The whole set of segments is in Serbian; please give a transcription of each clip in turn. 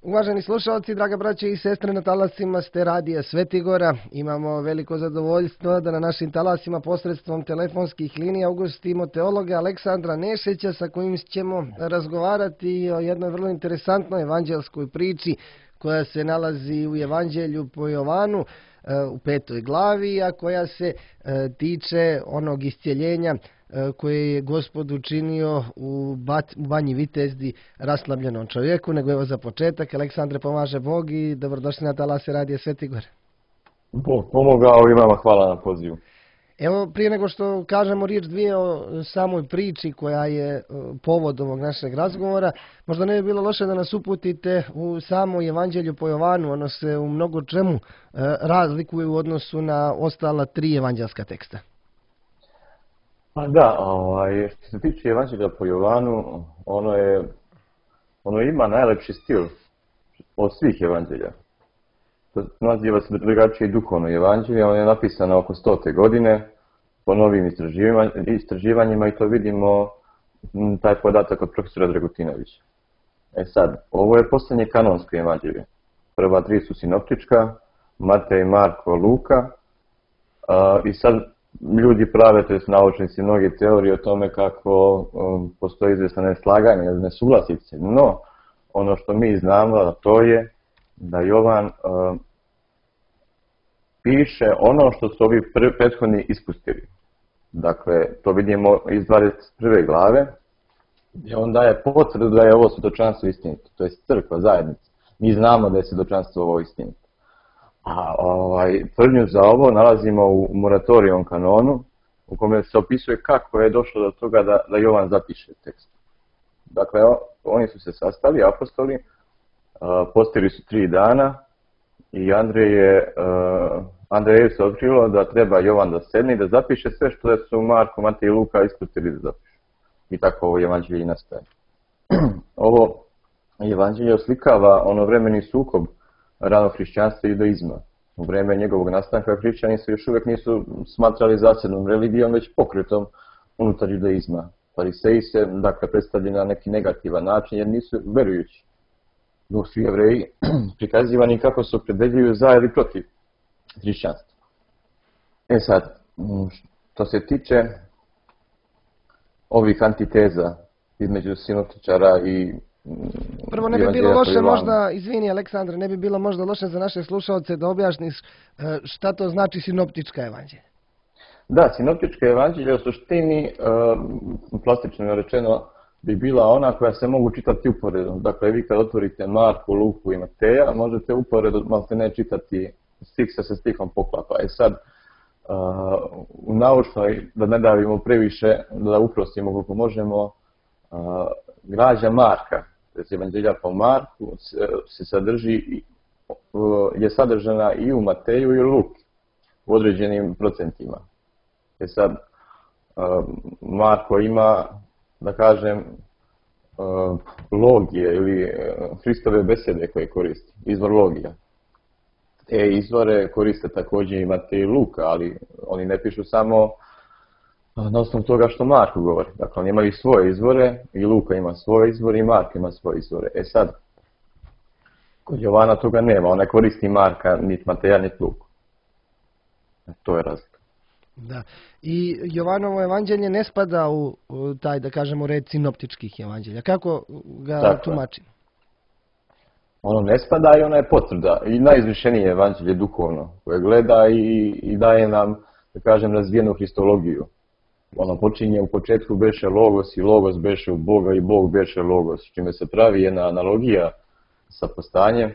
Uvaženi slušalci, draga braće i sestre, na talasima ste radija Svetigora. Imamo veliko zadovoljstvo da na našim talasima posredstvom telefonskih linija ugostimo teologa Aleksandra Nešića, sa kojim ćemo razgovarati o jednoj vrlo interesantnoj evanđelskoj priči koja se nalazi u Evanđelju po Jovanu u 5. glavi, a koja se tiče onog iscjeljenja koje je Gospod učinio u Banji Vitezdi raslabljenom čovjeku. Nego evo za početak, Aleksandre, pomaže Bog i dobrodošli na talase radija Svetigor. Bog pomogao i vama hvala na pozivu. Evo, prije nego što kažemo riječ dvije o samoj priči koja je povod ovog našeg razgovora, možda ne bi bilo loše da nas uputite u samo Evanđelju po Jovanu. Ono se u mnogo čemu razlikuje u odnosu na ostala 3 evanđelska teksta. Pa da, što se tiče Evanđelja po Jovanu, ono ima najlepši stil od svih evanđelja. To naziva se drugačije duhovno evanđelje, ono je napisano oko 100. godine, po novim istraživanjima i to vidimo taj podatak od profesora Dragutinovića. Sad, ovo je posljednje kanonsko evanđelje. Prva 3 su sinoptička, Matej, Marko, Luka, i sad ljudi prave, to jest naučnici, mnoge teorije o tome kako postoji izvjesna neslaganje, nesuglasice. No, ono što mi znamo, to je da Jovan piše ono što su ovi prethodni ispustili. Dakle, to vidimo iz 21. glave, gdje on daje potvrdu da je ovo svjedočanstvo istinito, to je crkva, zajednica. Mi znamo da je svjedočanstvo ovo istinito. A tvrdnju za ovo nalazimo u Moratorijevom kanonu, u kome se opisuje kako je došlo do toga da Jovan zapiše tekst. Dakle, oni su se sastali, apostoli, postili su 3 dana i Andreju se otkrilo da treba Jovan da sedne i da zapiše sve što su Marko, Matej i Luka ispustili da zapišu. I tako ovo evanđelje i nastaje. Ovo evanđelje oslikava ono vremeni sukob ranog hrišćanstva i judaizma. U vreme njegovog nastanka hrišćani se još uvijek nisu smatrali zasebnom religijom, već pokretom unutar judaizma. Fariseji se, dakle, predstavljeni na neki negativan način jer nisu verujući. Dok su Jevreji prikazivani kako se opredeljuju za ili protiv hrišćanstva. Sad, što se tiče ovih antiteza između sinoptičara i prvo, ne bi bilo loše možda, izvini Aleksandre, ne bi bilo možda loše za naše slušalce da objasniš šta to znači sinoptička evanđelja. Da, sinoptička evanđelja u suštini, plastično rečeno, bi bila ona koja se mogu čitati uporedom. Dakle, vi kad otvorite Marku, Luku i Mateja, možete uporedo maltene čitati stih sa stihom poklapa. Sad, u naučnoj, da ne davimo previše, da uprostimo koliko možemo, građa Marka, to je evanđelja po Marku, je sadržana i u Mateju i u Luki, u određenim procentima. Sad, Marko ima, da kažem, logije ili Hristove besede koje koristi, izvor logija. Te izvore koriste također i Matej i Luka, ali oni ne pišu samo na osnovu toga što Marko govori. Dakle, oni imaju svoje izvore, i Luka ima svoje izvore, i Marko ima svoje izvore. Sad, kod Jovana toga nema, ona koristi Marka, niti Mateja, niti Luku. To je razlika. Da. I Jovanovo evanđelje ne spada u taj, da kažemo, red sinoptičkih evanđelja. Kako ga tumačimo? Ono ne spada i ona je potvrda. I najizvršenije evanđelje duhovno, koje gleda i daje nam, da kažem, razvijenu hristologiju. Ono počinje u početku beše Logos i Logos beše u Boga i Bog beše Logos, čime se pravi jedna analogija sa postanjem,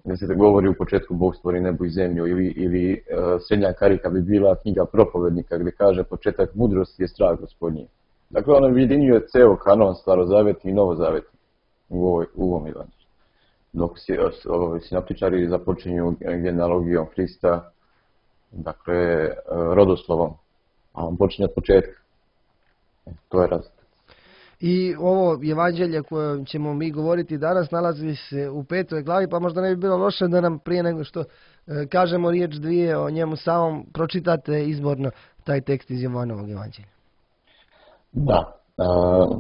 gdje se govori u početku Bog stvori nebo i zemlju, ili srednja karika bi bila knjiga Propovednika, gdje kaže početak mudrosti je strah Gospodnji. Dakle, ono ujedinjuje ceo kanon starozavetni i novozavetni u ovom evanđelju. Dok sinoptičari započinju genealogijom Hrista, dakle, rodoslovom, a on počinje od početka. To je razlika. I ovo evanđelje koje ćemo mi govoriti danas nalazi se u 5. glavi, pa možda ne bi bilo loše da nam prije nego što kažemo riječ dvije o njemu samom pročitate izborno taj tekst iz Jovanovog evanđelja. Da.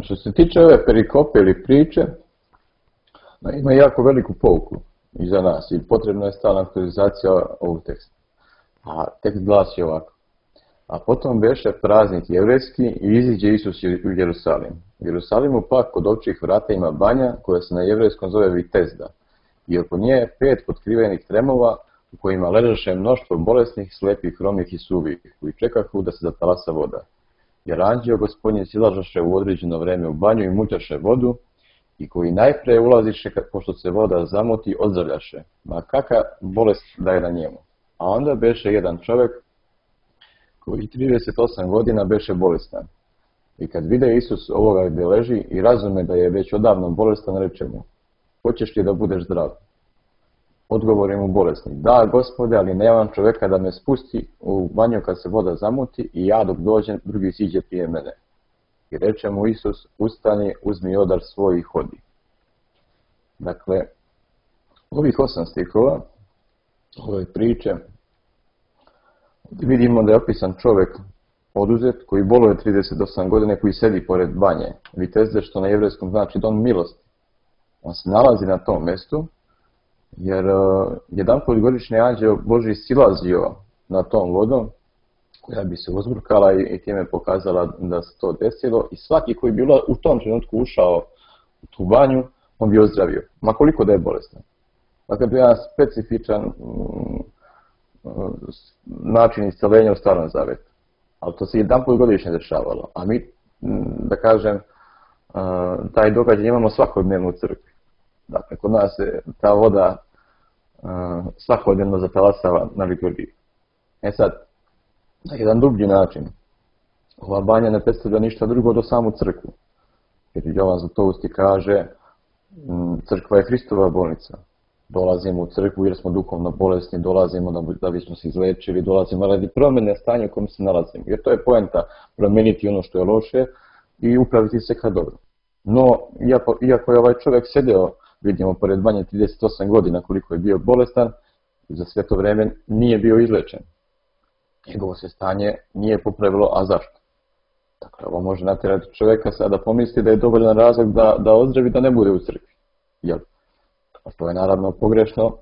Što se tiče ove perikope ili priče, Ima jako veliku pouku i za nas i potrebna je stalna aktualizacija ovog teksta. A tekst glasi ovako. A potom beše praznik jevrejski i iziđe Isus u Jerusalim. U Jerusalimu pak kod ovčjih vrata ima banja koja se na jevrejskom zove Vitezda. I oko nje je 5 potkrivenih tremova u kojima ležaše mnoštvo bolesnih, slepih, hromih i suvih, koji čekahu da se zatalasa voda. Jer anđeo Gospodnji silažaše u određeno vreme u banju i mućaše vodu, i koji najpre ulaziše, pošto se voda zamoti, ozdravljaše, ma kakva bolest da je na njemu. A onda beše jedan čovjek koji 38 godina beše bolestan. I kad vide Isus ovoga gdje leži i razume da je već odavno bolestan, reče mu, hoćeš li da budeš zdrav? Odgovori mu bolesnik, da Gospode, ali nemam čovjeka da me spusti u banju kad se voda zamuti i ja dok dođem, drugi siđe prije mene. I reče mu Isus, ustani, uzmi odar svoj i hodi. Dakle, ovih 8 stihova, ove priče, vidimo da je opisan čovjek oduzet koji boluje 38 godine, koji sedi pored banje. Vitezde, što na jevrejskom znači dom milosti. On se nalazi na tom mjestu, jer jedanput godišnji anđeo Božji silazio na tom vodom, koja bi se uzburkala i time pokazala da se to desilo. I svaki koji bi u tom trenutku ušao u tu banju, on bi ozdravio. Ma koliko da je bolestan. Dakle, to je jedan specifičan način isceljenja u Starom Zavetu. Ali to se jedanput godišnje dešavalo. A mi, da kažem, taj događaj imamo svakodnevno u crkvi. Dakle, kod nas se ta voda svakodnevno zatalasava na liturgiji. E sad, na jedan dublji način, ova banja ne predstavlja ništa drugo do samu crkvu. Jer Jovan Zlatousti kaže, crkva je Hristova bolnica. Dolazimo u crkvu jer smo duhovno bolesni, dolazimo da bismo se izlečili, dolazimo radi promjene stanja u kojem se nalazimo. Jer to je poenta, promijeniti ono što je loše i upraviti se ka dobro. No, iako je ovaj čovjek sedeo, vidimo, pored banje 38 godina koliko je bio bolestan, za sve to vrijeme nije bio izlečen. Njegovo se stanje nije popravilo, a zašto? Dakle, ovo može natjerati čovjeka sada pomisli da je dovoljan razlog da ozdravi, da ne bude u crkvi. Jel? A to je naravno pogrešno,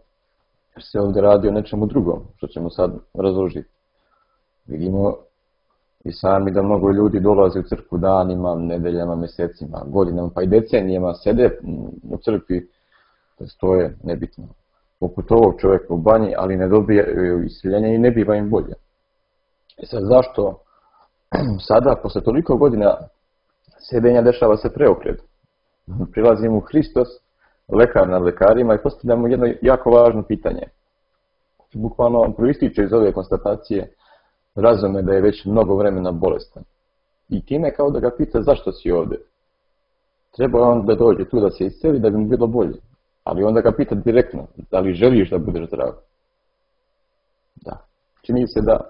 jer se ovdje radi o nečemu drugom, što ćemo sad razložiti. Vidimo i sami da mnogo ljudi dolaze u crkvu danima, nedeljama, mjesecima, godinama, pa i decenijama sede u crkvi, to je nebitno. Poput ovog čovjeka u banji, ali ne dobije isceljenje i ne biva im bolje. I sad zašto sada, posle toliko godina sedenja, dešava se preokret? Prilazimo u Hristos, lekar nad lekarima, i postavljamo jedno jako važno pitanje. Bukvalno proističe iz ove konstatacije, razume da je već mnogo vremena bolestan. I time kao da ga pita zašto si ovdje. Treba on da dođe tu da se isceli da bi mu bilo bolje. Ali onda ga pita direktno, da li želiš da budeš zdrav? Da. Čini se da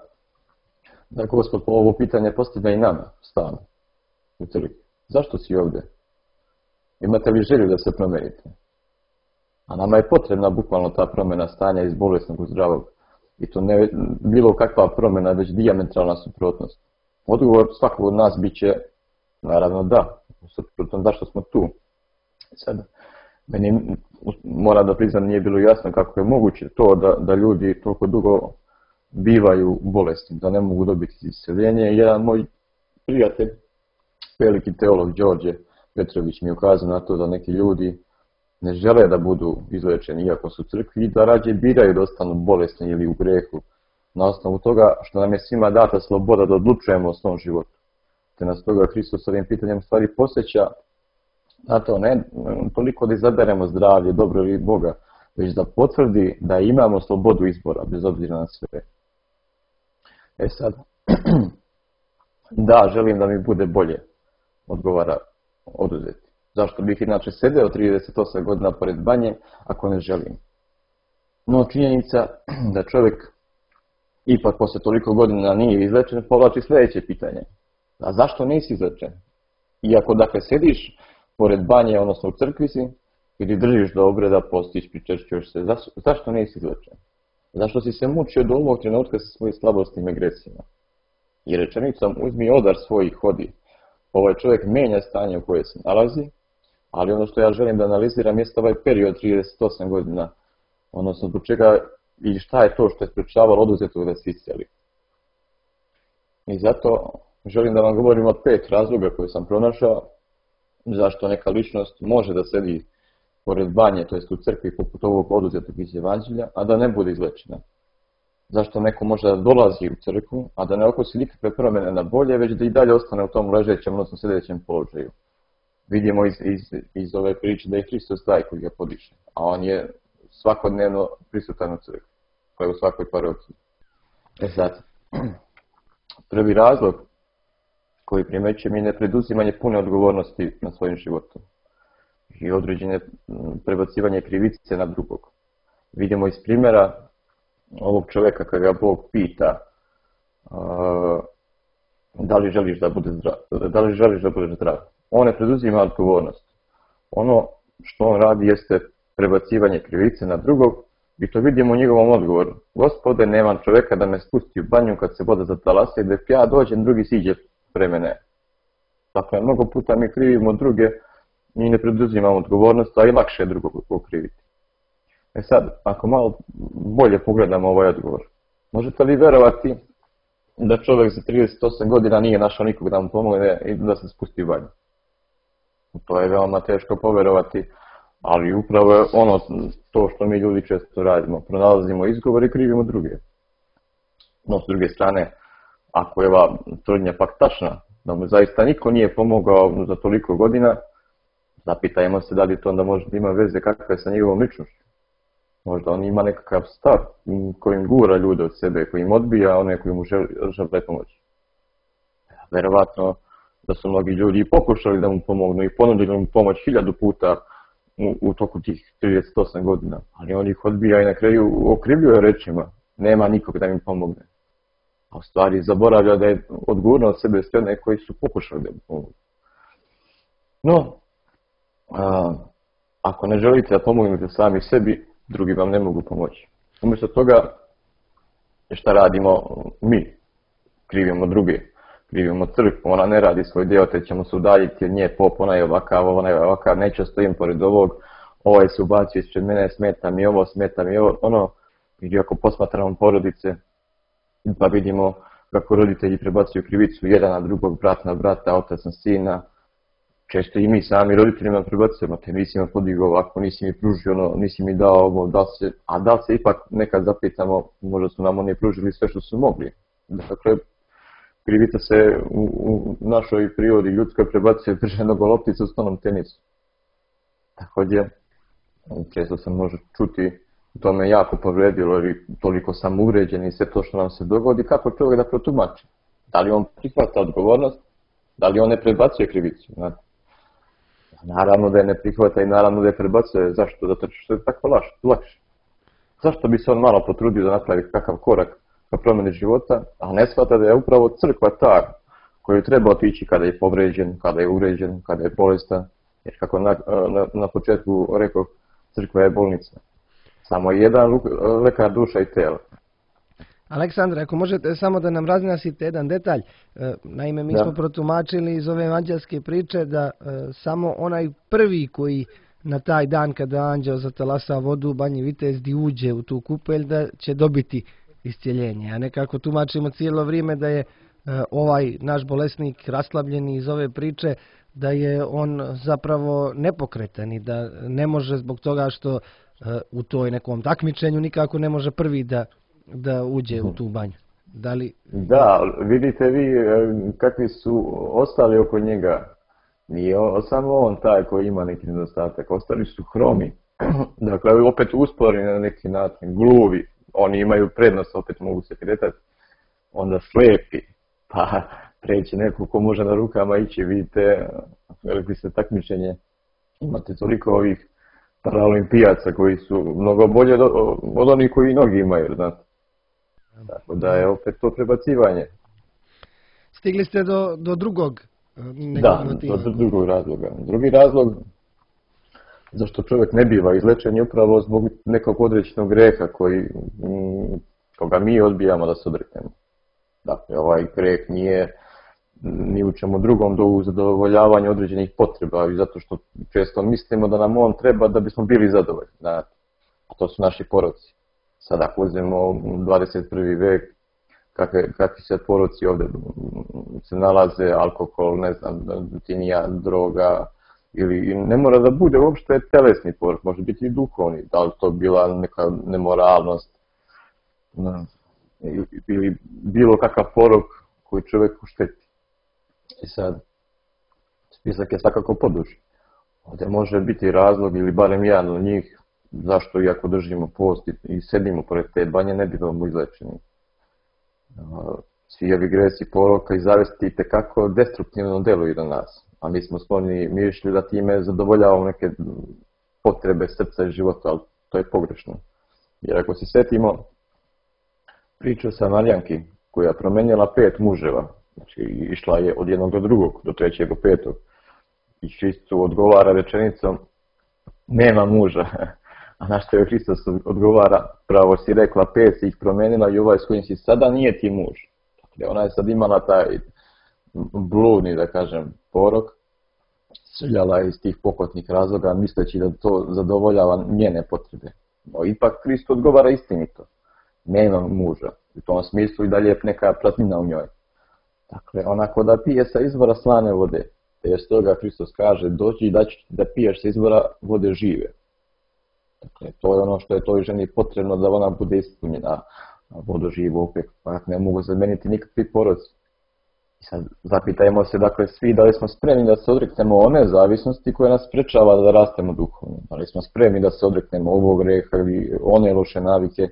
Gospod ovo pitanje postavlja i nama stalno u crkvi. Zašto si ovdje? Imate li želju da se promenite? A nama je potrebna bukvalno ta promjena stanja iz bolesnog u zdravog. I to ne bilo kakva promjena, već dijametralna suprotnost. Odgovor svakog od nas bit će, naravno da, suprotno zašto smo tu. Sad, meni moram da priznam, nije bilo jasno kako je moguće to da ljudi toliko dugo bivaju bolesni, da ne mogu dobiti isceljenje. Jedan moj prijatelj, veliki teolog Đorđe Petrović, mi je ukazao na to da neki ljudi ne žele da budu izlečeni iako su u crkvi i da rađe biraju da ostanu bolesni ili u grehu na osnovu toga što nam je svima data sloboda da odlučujemo o svom životu. Te nas toga Hristos ovim pitanjem stvari posjeća na to ne toliko da izaberemo zdravlje, dobro ili Boga, već da potvrdi da imamo slobodu izbora bez obzira na sve. E sad, da, želim da mi bude bolje, odgovara oduzeti. Zašto bih inače sedeo 38 godina pored banje ako ne želim? No činjenica da čovjek ipak posle toliko godina nije izlečen, povlači sljedeće pitanje. A zašto nisi izlečen? Iako dakle sediš pored banje, odnosno u crkvi si, ili držiš do obreda, postiš, pričešćuješ se, zašto nisi izlečen? Zašto si se mučio do ovog trenutka sa svojim slabostima i gresima? I rečenicom uzmi odar svoj i hodi. Ovaj čovjek menja stanje u koje se nalazi, Ali ono što ja želim da analiziram jeste ovaj period 38 godina, odnosno zbog čega i šta je to što je sprečavalo oduzetog da se isceli. I zato želim da vam govorim o 5 razloga koje sam pronašao zašto neka ličnost može da sedi pored banje, to jest u crkvi poput ovog oduzetog iz Evanđelja, a da ne bude izlečena. Zašto neko može da dolazi u crkvu, a da ne okusi nikakve promjene na bolje, već da i dalje ostane u tom ležećem, odnosno sedećem položaju. Vidimo iz ove priče da je Hristos taj koji ga podiže, a on je svakodnevno prisutan u crkvi, koja je u svakoj parokiji. Sad, prvi razlog koji primećujem je nepreduzimanje pune odgovornosti na svojim životom i određene prebacivanje krivice na drugog. Vidimo iz primjera ovog čovjeka kada ga Bog pita da li želiš da budeš zdrav. On ne preduzima odgovornost. Ono što on radi jeste prebacivanje krivice na drugog i to vidimo u njegovom odgovoru. Gospode, nemam čovjeka da me spusti u banju kad se voda zatalasa i da ja dođem, drugi siđe pre mene. Dakle, mnogo puta mi krivimo druge i ne preduzimamo odgovornost, a i lakše je drugog okriviti. Sad, ako malo bolje pogledamo ovaj odgovor, možete li vjerovati da čovjek za 38 godina nije našao nikog da mu pomogne i da se spusti u banju? To je veoma teško povjerovati, ali upravo je ono to što mi ljudi često radimo. Pronalazimo izgovor i krivimo druge. No, s druge strane, ako je ova tvrdnja pak tačna, da mu zaista niko nije pomogao za toliko godina, zapitajmo se da li to onda možda ima veze kakva je sa njegovom ličnošću. Možda on ima nekakav stav kojim gura ljude od sebe, kojim odbija one koji mu žele pomoći. Verovatno da su mnogi ljudi pokušali da mu pomognu i ponudili mu pomoć 1000 puta u toku tih 38 godina, ali on ih odbija i na kraju okrivljuje rečima, nema nikog da mi pomogne. A u stvari zaboravlja da je odgovorno od sebe sve one koji su pokušali da mu pomogu. No, ako ne želite da pomognete sami sebi, drugi vam ne mogu pomoći. Umjesto toga, šta radimo mi? Krivimo druge. Krivimo crkvu, ona ne radi svoj dio, te ćemo se udaljiti od nje, pop, ona je ovakav, neće stojim pored ovog, ovaj se ubacio ispred mene, smeta mi ovo, ono. Ili ako posmatramo porodice, pa vidimo kako roditelji prebacuju krivicu jedan na drugog, brat na brata, otac na sina. Često i mi sami roditeljima prebacujemo, te nisi me podigao ovako, nisi mi pružio ono, nisi mi dao ovo, da li se ipak nekad zapitamo, možda su nam oni pružili sve što su mogli. Dakle, krivica se u našoj prirodi ljudskoj prebacuje brže nego loptica u stolnom tenisu. Također, često se može čuti, to me jako povredilo jer toliko sam uvređen i sve to što nam se dogodi, kako čovjek da protumači. Da li on prihvata odgovornost, da li on ne prebacuje krivicu. Naravno da je ne prihvata i naravno da je prebacuje. Zašto? Zato što je tako lakše. Zašto bi se on malo potrudio da napravi kakav korak ka promjeni života, a ne shvata da je upravo crkva ta koju treba otići kada je povređen, kada je uvređen, kada je bolestan. Jer kako na početku rekao, crkva je bolnica. Samo jedan lekar duša i tela. Aleksandre, ako možete samo da nam razjasnite jedan detalj. Naime, mi smo protumačili iz ove evanđelske priče da samo onaj prvi koji na taj dan kada anđeo zatalasa vodu u Banji Vitezdi uđe u tu kupelj da će dobiti iscjeljenje. A nekako tumačimo cijelo vrijeme da je ovaj naš bolesnik raslabljeni iz ove priče, da je on zapravo nepokretan i da ne može zbog toga što u toj nekom takmičenju nikako ne može prvi da uđe u tu banju. Da, vidite vi kakvi su ostali oko njega. Nije samo on taj koji ima neki nedostatak, ostali su hromi. Dakle, opet uspori na neki način, gluvi, oni imaju prednost, opet mogu se kretati. Onda slepi, pa treći neko ko može na rukama ići, vidite, veliko se takmičenje. Imate toliko ovih paraolimpijaca koji su mnogo bolje od onih koji nogi imaju, znate. Tako da je opet to prebacivanje. Stigli ste do drugog motiva. Do drugog razloga. Drugi razlog zašto čovjek ne biva izlečen je upravo zbog nekog određenog greha koga mi odbijamo da se odreknemo. Dakle, ovaj greh nije ni u čemu drugom do u zadovoljavanju određenih potreba i zato što često mislimo da nam on treba da bismo bili zadovoljni. Znate. A to su naši poroci. Sad ako uzmemo 21. vek, kakvi se poroci ovdje se nalaze, alkohol, ne znam, tinija, droga, ili ne mora da bude uopšte telesni porok, može biti i duhovni, da li to bila neka nemoralnost, ili bilo kakav porok koji čovjeku šteti. I sad, spisak je svakako poduži. Ovdje može biti razlog ili barem jedan od njih zašto iako držimo post i sedimo pored te banje ne bivamo izlečeni. Svi ovi gresi poroka i zavesti itekako destruktivno deluju na nas, a mi smo skloni mišlju da time zadovoljavamo neke potrebe srca i života, ali to je pogrešno. Jer ako se setimo priču sa Marijanki koja je promenjala 5 muževa, znači išla je od jednog do drugog, do trećeg do petog, i Hristu odgovara rečenicom nema muža, a na što je Hristos odgovara pravo si rekla 5 si ih promenila i ovaj s kojim si sada nije ti muž. Dakle, ona je sad imala taj bludni, da kažem, porok, srljala iz tih pokotnih razloga misleći da to zadovoljava njene potrebe. No ipak Hrist odgovara istinito. Nema muža. U tom smislu i dalje je neka praznina u njoj. Dakle, onako da pije sa izvora slane vode. Te stoga Hristos kaže, dođi da piješ sa izvora vode žive. Dakle, to je ono što je toj ženi potrebno da ona bude ispunjena. Vodu živu opet, ne mogu zameniti nikakvi poroci. I sad zapitajmo se, dakle, svi da li smo spremni da se odreknemo one zavisnosti koje nas sprečava da rastemo duhovno. Da li smo spremni da se odreknemo ovog greha ili one loše navike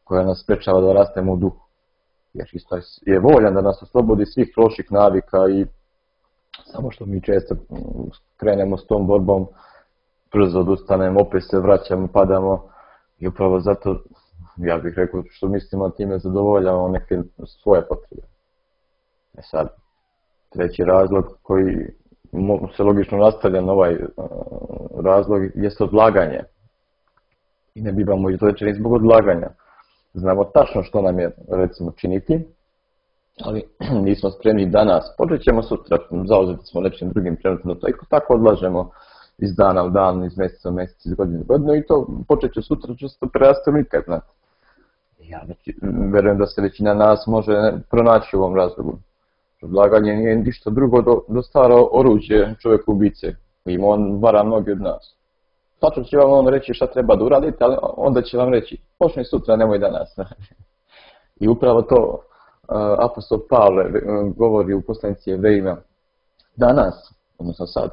koja nas sprečava da rastemo u duhu. Jer Hristos je voljan da nas oslobodi svih loših navika i samo što mi često krenemo s tom borbom, brzo odustanemo, opet se vraćamo, padamo i upravo zato, ja bih rekao, što mislimo time zadovoljavamo neke svoje potrebe. E sad, treći razlog koji se logično nastavlja na ovaj razlog jest odlaganje. I ne bivamo izlečeni zbog odlaganja. Znamo tačno što nam je, recimo, činiti, ali nismo spremni danas. Počet ćemo sutra, zauzeti smo nečim drugim trenutno, to tako odlažemo iz dana u dan, iz mjeseca u mjesec, iz godine u godinu i to počet će sutra često preraste nikad, znate. Ja verujem da se većina nas može pronaći u ovom razlogu. Odlaganje nije ništa drugo do staro oruđe čovjeku ubice, kojim on vara mnogi od nas. Tačno će vam on reći šta treba da uradite, ali onda će vam reći, počni sutra, nemoj danas. I upravo to apostol Pavle govori u poslanici Jevrejima. Danas, odnosno sad,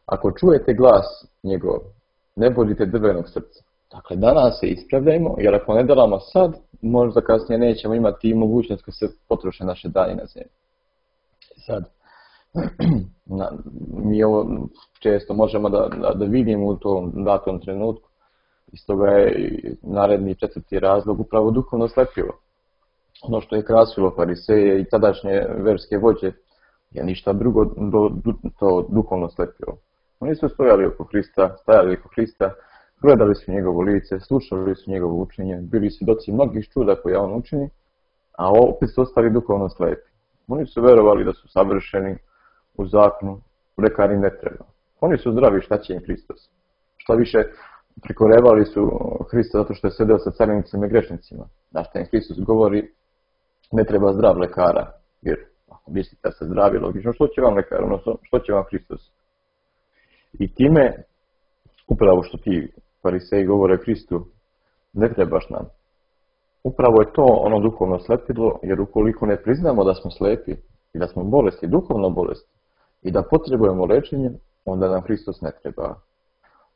ako čujete glas njegov, ne budite drvenog srca. Dakle, danas se ispravljajmo, jer ako ne delamo sad, možda kasnije nećemo imati mogućnost kad se potroše naše dani na zemlji. Sad, mi ovo često možemo da vidimo u tom datom trenutku. Iz toga je naredni četvrti razlog upravo duhovno slepilo. Ono što je krasilo fariseje i tadašnje verske vođe je ništa drugo to duhovno slepilo. Oni su stajali oko Hrista, gledali su njegovo lice, slušali su njegovo učenje, bili svjedoci mnogih čuda koje on učini, a opet su ostali duhovno slepi. Oni su verovali da su savršeni u zakonu, lekar im ne treba. Oni su zdravi, šta će im Hristos? Šta više, prikorevali su Hrista zato što je sedeo sa carinicima i grešnicima. Da što im Hristos govori, ne treba zdrav lekara, jer ako mislite da ste zdravi, logično, što će vam lekar, odnosno što će vam Hristos? I time, upravo što ti fariseji govore Hristu, ne trebaš nam. Upravo je to ono duhovno slepilo, jer ukoliko ne priznamo da smo slepi i da smo bolesti, duhovno bolesti, i da potrebujemo lečenje, onda nam Hristos ne treba.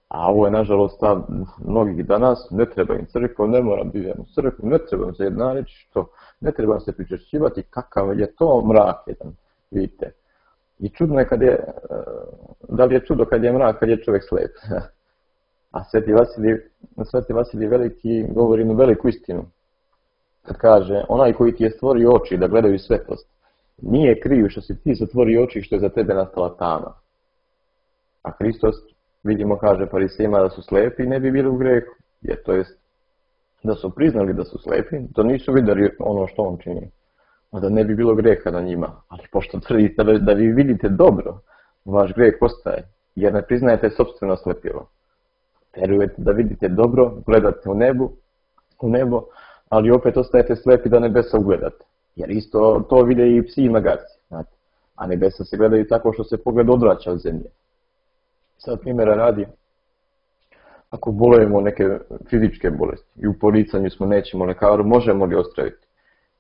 A ovo je nažalost stav mnogih danas, ne treba im crkva, ne moram biti u crkvu, ne treba im se jedna reći što, ne treba se pričešćivati, kakav je to mrak jedan, vidite. I čudno je da li je čudo kad je mrak, kad je čovjek slep. A Sveti Vasilij Veliki govori jednu veliku istinu. Kad kaže, onaj koji ti je stvorio oči da gledaju svetlost, nije kriv što si ti zatvorio oči što je za tebe nastala tama. A Hristos, vidimo, kaže farisejima da su slepi i ne bi bili u grehu. Jer to jest da su priznali da su slepi, da nisu vidjeli ono što on čini. da ne bi bilo greha na njima. Ali pošto tvrdite da vi vidite dobro, vaš greh ostaje, jer ne priznajete sopstveno slepilo. Verujete da vidite dobro, gledate u nebo, ali opet ostajete slepi da nebesa ugledate. Jer isto to vide i psi i magarci, znate. A nebesa se gledaju tako što se pogled odvraća od zemlje. Sad primjera radi, ako bolujemo neke fizičke bolesti i u poricanju smo nećemo lekaru, možemo li ozdraviti?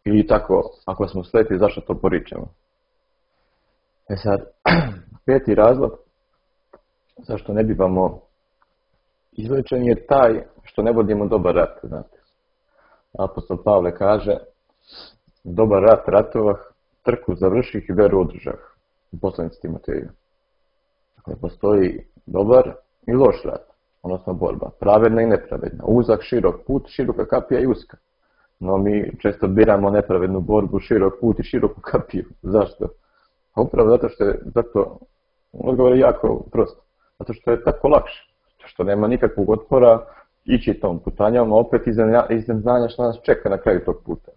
Ili tako, ako smo slepi, zašto to poričemo? Sad, peti razlog zašto ne bivamo izlečeni je taj što ne vodimo dobar rat, znate. Apostol Pavle kaže, dobar rat ratovah, trku završih i veru održah. U poslanici Timoteju. Dakle, postoji dobar i loš rat, odnosno borba. Pravedna i nepravedna. Uzak, širok put, široka kapija i uska. No mi često biramo nepravednu borbu, širok put i široku kapiju. Zašto? Upravo zato odgovor je jako prost. Zato što je tako lakše. Zato što nema nikakvog otpora ići tom putanjom, a opet iznad znanja što nas čeka na kraju tog puta.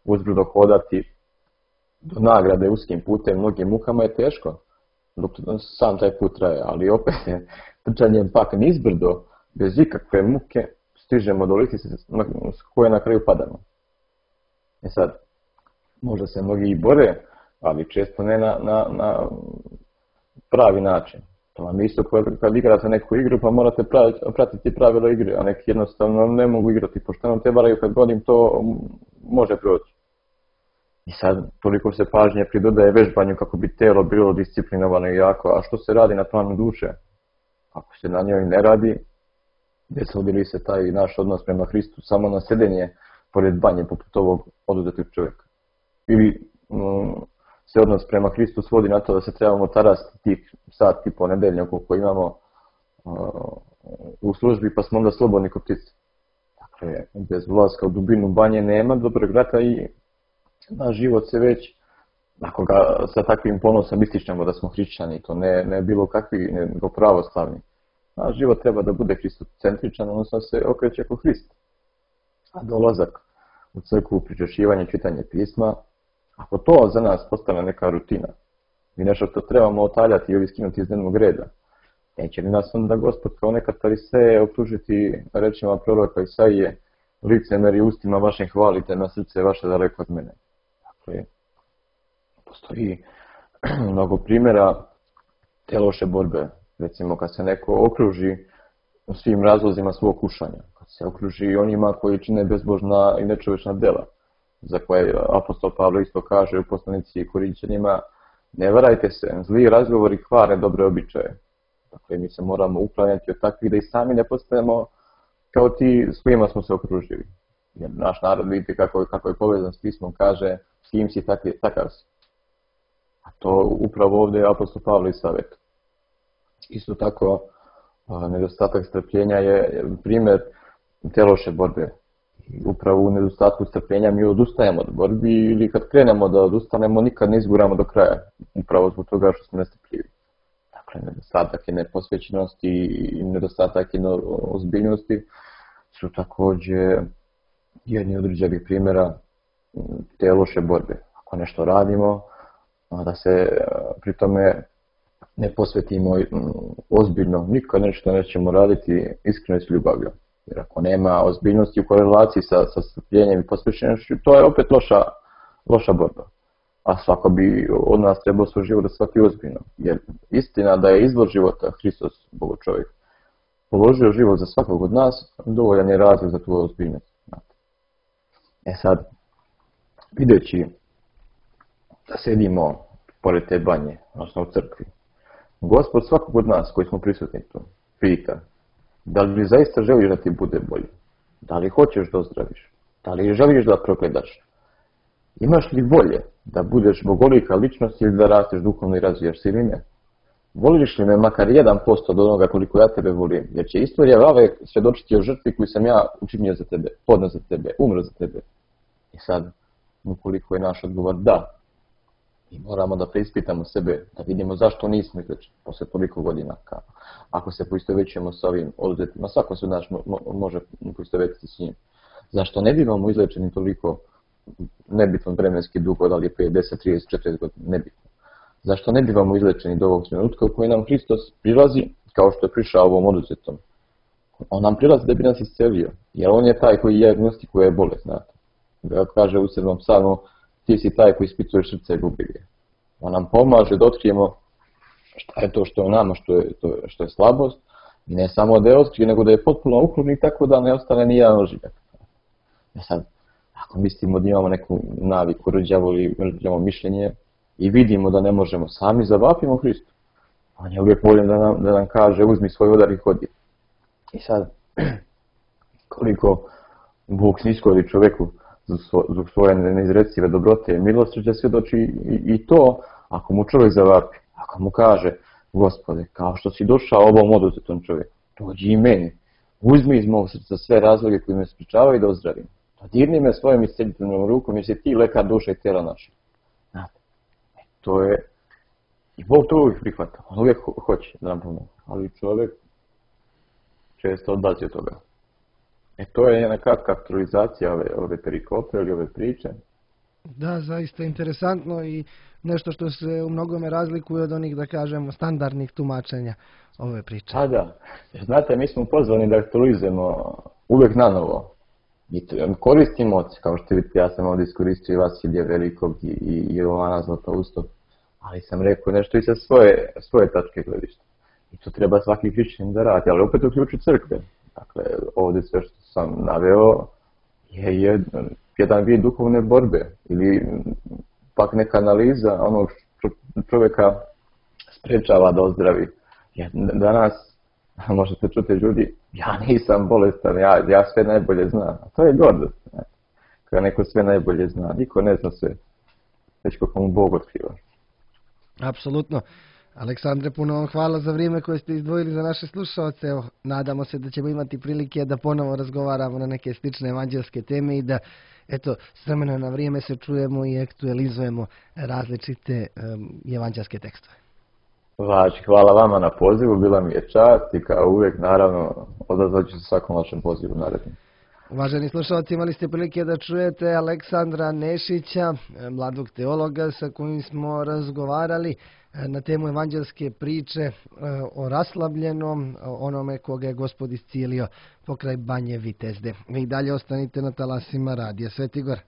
Uzbrdo hodati do nagrade uskim putem, mnogim mukama je teško, dok sam taj put traje, ali opet trčanjem pak nizbrdo, bez ikakve muke, stižemo do lisice s koje na kraju padamo. Sad, možda se mnogi i bore, ali često ne na pravi način. To vam isto kad igrate neku igru, pa morate pratiti pravila igre, a neki jednostavno ne mogu igrati pošteno, te varaju kad godim to može proći. I sad toliko se pažnje pridodaje vežbanju kako bi telo bilo disciplinovano i jako, a što se radi na planu duše? Ako se na njoj ne radi, desodi li se taj naš odnos prema Hristu samo na sedenje pored banje poput ovog oduzetog čovjeka? Ili se odnos prema Hristu svodi na to da se trebamo tarasti tih sat i po nedeljnja koliko imamo u službi, pa smo onda slobodni ko ptice. Dakle, bez ulaska u dubinu banje nema dobrog rata i naš život se već, ako ga sa takvim ponosom ističemo da smo hrišćani, to ne bilo kakvi, nego pravoslavni. Naš život treba da bude hristocentričan, odnosno se okreće oko Hrista. A dolazak u crkvu, pričešćivanje, čitanje pisma, ako to za nas postane neka rutina i nešto što trebamo otaljati ili skinuti iz dnevnog reda, neće li nas onda Gospod kao neka fariseje optužiti rečima proroka Isaije, licemeri ustima vašim hvalite, na srce vaše daleko od mene. Dakle, postoji mnogo primjera te loše borbe. Recimo kad se neko okruži u svim razlozima svog kušanja, kad se okruži onima koji čine bezbožna i nečovečna dela, za koje apostol Pavle isto kaže u poslanici Korinćanima, ne varajte se, zli razgovori kvare dobre običaje. Dakle, mi se moramo uklanjati od takvih da i sami ne postajemo kao ti s kojima smo se okružili. Jer naš narod vidite kako je povezan s pismom, kaže s kim si takav si. A to upravo ovdje je apostol Pavle i savjet. Isto tako, nedostatak strpljenja je primjer te loše borbe. Upravo u nedostatku strpljenja mi odustajemo od borbi ili kad krenemo da odustanemo nikad ne izguramo do kraja. Upravo zbog toga što smo nestrpljivi. Dakle, nedostatak je neposvećenosti i nedostatak je ozbiljnosti su također jedni od određenih primjera te loše borbe. Ako nešto radimo, da se pri tome ne posvetimo ozbiljno, nikad nešto nećemo raditi iskreno i s ljubavlju. Jer ako nema ozbiljnosti u korelaciji sa strpljenjem i posvećenošću, to je opet loša borba. A svako bi od nas trebao svoj život da shvati ozbiljno. Jer istina da je izvor života Hristos, Bogo čovjek, položio život za svakog od nas, dovoljan je razlog za tu ozbiljnost. Sad, videći da sedimo pored te banje, odnosno u crkvi, Gospod svakog od nas koji smo prisutni tu pita, da li zaista želiš da ti bude bolje? Da li hoćeš da ozdraviš? Da li želiš da progledaš? Imaš li volje da budeš bogolika ličnost ili da rasteš duhovno i razvijaš se ili ne? Voliš li me makar 1% od onoga koliko ja tebe volim? Jer će istorija Vave svjedočiti o žrtvi koju sam ja učinio za tebe, podneo za tebe, umro za tebe. I sad, ukoliko je naš odgovor da, mi moramo da preispitamo sebe, da vidimo zašto nismo izlečeni posle toliko godina. Ako se poistovećujemo sa ovim oduzetima, svako se od nas može poistovetiti s njim. Zašto ne bivamo izlečeni toliko nebitno vremenski dugo, da li je 5, 10, 30, 40 godina, nebitno. Zašto ne bivamo izlečeni do ovog trenutka u koji nam Hristos prilazi kao što je prišao ovom oduzetom? On nam prilazi da bi nas iscelio, jer on je taj koji dijagnostikuje bolest, znate. Da kaže u 7. psalmu, ti si taj koji ispituješ srce i gubi. On nam pomaže da otkrijemo šta je to što je u nama, što je slabost, i ne samo da je otkrije, nego da je potpuno ukloni tako da ne ostane ni jedan ožiljak. Sad, ako mislimo da imamo neku naviku, rđavo ili rđavo mišljenje i vidimo da ne možemo sami, zavapimo Hristu. On je uvijek voljen da nam kaže uzmi svoj udar i hodi. I sad, koliko Bog sniskori čovjeku zbog svoje neizrecive dobrote i milosrđa svjedoči i to ako mu čovjek zavapi, ako mu kaže Gospode, kao što si došao ovom oduzetom čovjeku, dođi i meni, uzmi iz mog srca sve razloge koji me sprečavaju da ozdravim. Dodirni me svojom isceliteljnom rukom jer si ti lekar duše i tijela naše. Znate, to je... I Bog to uvijek prihvata, on uvijek hoće da nam pomoći, ali čovjek često odbaci od toga. To je jedna kratka aktualizacija ove perikope ili ove priče. Da, zaista interesantno i nešto što se u mnogome razlikuje od onih, da kažemo, standardnih tumačenja ove priče. Pa da, znate, mi smo pozvani da aktualizujemo uvijek na novo. I koristimo, kao što vidite, ja sam ovdje iskoristio i Vasilija Velikog i Jovana Zlatoustog, ali sam rekao nešto i sa svoje tačke gledišta. I to treba svaki hrišćanin da radi, ali opet uključi crkve. Dakle, ovdje sve što sam naveo je jedan vid duhovne borbe ili pak neka analiza onog što čovjeka sprečava da ozdravi. Danas možete čuti ljudi, ja nisam bolestan, ja sve najbolje znam. A to je gordost. Kada neko sve najbolje zna, niko ne zna sve, već kako mu Bog otkriva. Apsolutno. Aleksandre, puno vam hvala za vrijeme koje ste izdvojili za naše slušalce. Evo, nadamo se da ćemo imati prilike da ponovo razgovaramo na neke slične evanđelske teme i da, eto, s vremena na vrijeme se čujemo i aktualizujemo različite evanđelske tekstove. Hvala vama na pozivu, bila mi je čast i kao uvijek, naravno, odazvat ću se svakom vašem pozivu narednim. Uvaženi slušalci, imali ste prilike da čujete Aleksandra Nešića, mladog teologa sa kojim smo razgovarali na temu evanđelske priče o raslabljenom, onome koga je Gospod iscijelio pokraj Banje Vitezde. Vi dalje ostanite na talasima Radija Sveti Gor.